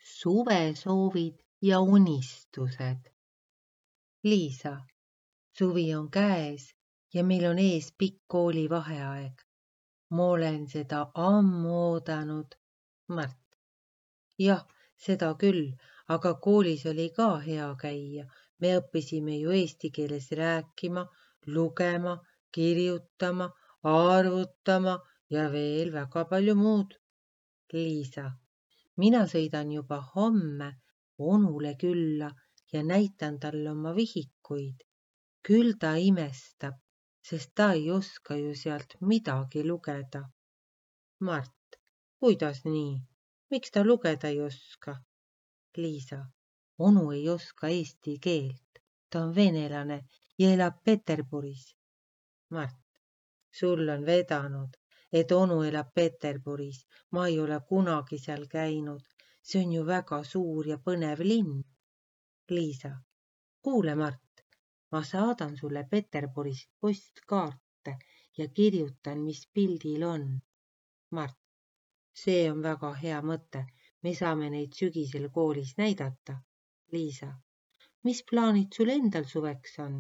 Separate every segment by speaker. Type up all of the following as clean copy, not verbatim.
Speaker 1: Suvesoovid ja unistused. Liisa, suvi on käes ja meil on ees pikk koolivaheaeg. Ma olen seda ammu oodanud. Mart. Jah, seda küll, aga koolis oli ka hea käia. Me õppisime ju eesti keeles rääkima, lugema, kirjutama, arvutama ja veel väga palju muud. Liisa. Mina sõidan juba homme onule külla ja näitan talle oma vihikuid. Küll ta imestab, sest ta ei oska ju sealt midagi lugeda. Mart, kuidas nii? Miks ta lugeda ei oska? Liisa, onu ei oska eesti keelt. Ta on venelane ja elab Peterburis. Mart, sul on vedanud, et onu elab Peterburis. Ma ei ole kunagi seal käinud. See on ju väga suur ja põnev linn. Liisa, kuule Mart, ma saadan sulle Peterburist postkaarte ja kirjutan, mis pildil on. Mart, see on väga hea mõte. Me saame neid sügisel koolis näidata. Liisa, mis plaanid sul endal suveks on?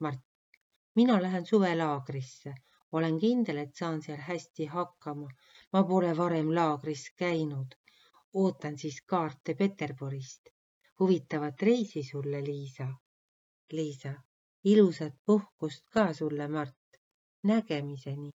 Speaker 1: Mart, mina lähen suvelaagrisse. Olen kindel, et saan seal hästi hakkama. Ma pole varem laagris käinud. Ootan siis kaarte Peterburist. Huvitavat reisi sulle, Liisa. Liisa, ilusat puhkust ka sulle, Mart. Nägemiseni.